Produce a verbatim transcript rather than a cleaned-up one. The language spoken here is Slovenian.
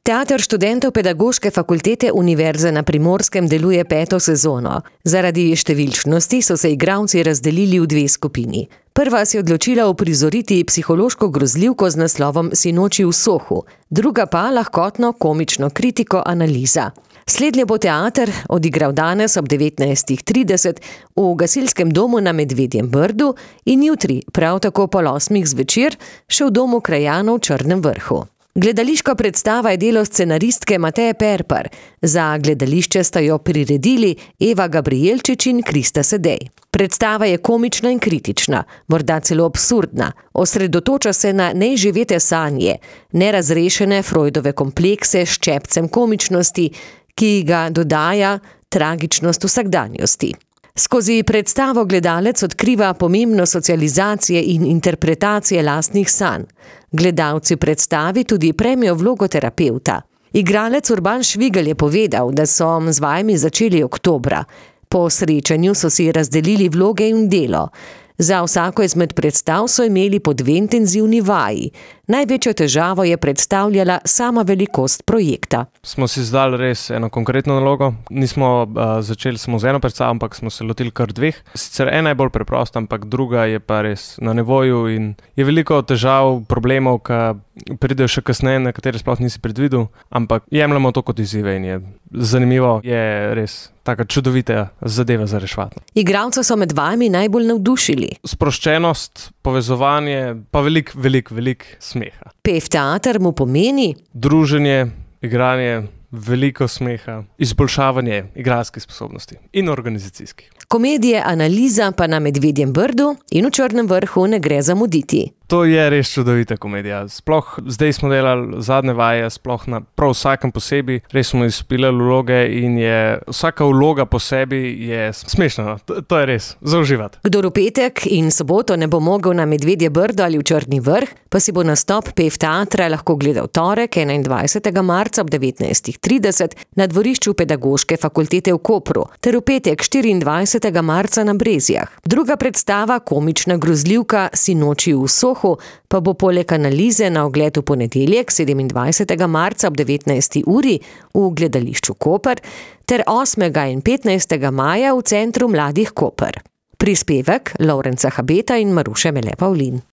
Teater študentov Pedagoške fakultete Univerze na Primorskem deluje peto sezono. Zaradi številčnosti so se igralci razdelili v dve skupini. Prva se je odločila uprizoriti psihološko grozljivko z naslovom Sinoči v Sohu, druga pa lahkotno komično kritiko Analiza. Slednje bo teater odigral danes ob devetnajstih trideset v gasilskem domu na Medvedjem Brdu in jutri, prav tako pol osmih zvečer, še v domu krajanov v Črnem Vrhu. Gledališka predstava je delo scenaristke Mateje Perpar. Za gledališče sta jo priredili Eva Gabrijelčič in Krista Sedej. Predstava je komična in kritična, morda celo absurdna. Osredotoča se na neizživete sanje, nerazrešene Freudove komplekse s ščepcem komičnosti, ki ga dodaja tragičnost vsakdanjosti. Skozi predstavo gledalec odkriva pomembnost socializacije in interpretacije lastnih sanj. Gledalci predstavi tudi prejmejo vlogo terapevta. Igralec Urban Švigelj je povedal, da so z vajami začeli oktobra. Po srečanju so si razdelili vloge in delo. Za vsako izmed predstav so imeli po dve intenzivni vaji. Največjo težavo je predstavljala sama velikost projekta. Smo si zdali res eno konkretno nalogo. Nismo uh, začeli samo z eno predstavo, ampak smo se lotili kar dveh. Sicer ena je bolj preprosta, ampak druga je pa res na nivoju in je veliko težav, problemov, ki pridejo še kasneje, na katere sploh nisi predvidel, ampak jemljamo to kot izzive in je zanimivo, je res taka čudovita zadeva za reševati. Igralca so med vami najbolj navdušili. Sproščenost, povezovanje, pa velik, velik, velik smeha. Pef teater mu pomeni druženje, igranje, veliko smeha, izboljšavanje igralskih sposobnosti in organizacijskih. Komedije Analiza pa na Medvedjem Brdu in v Črnem Vrhu ne gre zamuditi. To je res čudovita komedija. Sploh zdaj smo delali zadnje vaje, sploh na prav vsakem posebej. Res smo izpilali vloge in je vsaka vloga po sebi je smešna. To, to je res, za uživati. Kdor v petek in soboto ne bo mogel na Medvedje Brdo ali v Črni Vrh, pa si bo nastop Pef teatra lahko gledal torek, enaindvajsetega marca ob devetnajstih trideset na dvorišču Pedagoške fakultete v Kopru ter v petek štiriindvajsetega marca na Brezjah. Druga predstava, komična grozljivka Sinoči v Sohu, pa bo poleg Analize na ogled v ponedeljek sedemindvajsetega marca ob devetnajsti uri v gledališču Koper ter osmega in petnajstega maja v Centru mladih Koper. Prispevek Lovrenca Habeta in Maruše Mele Pavlin.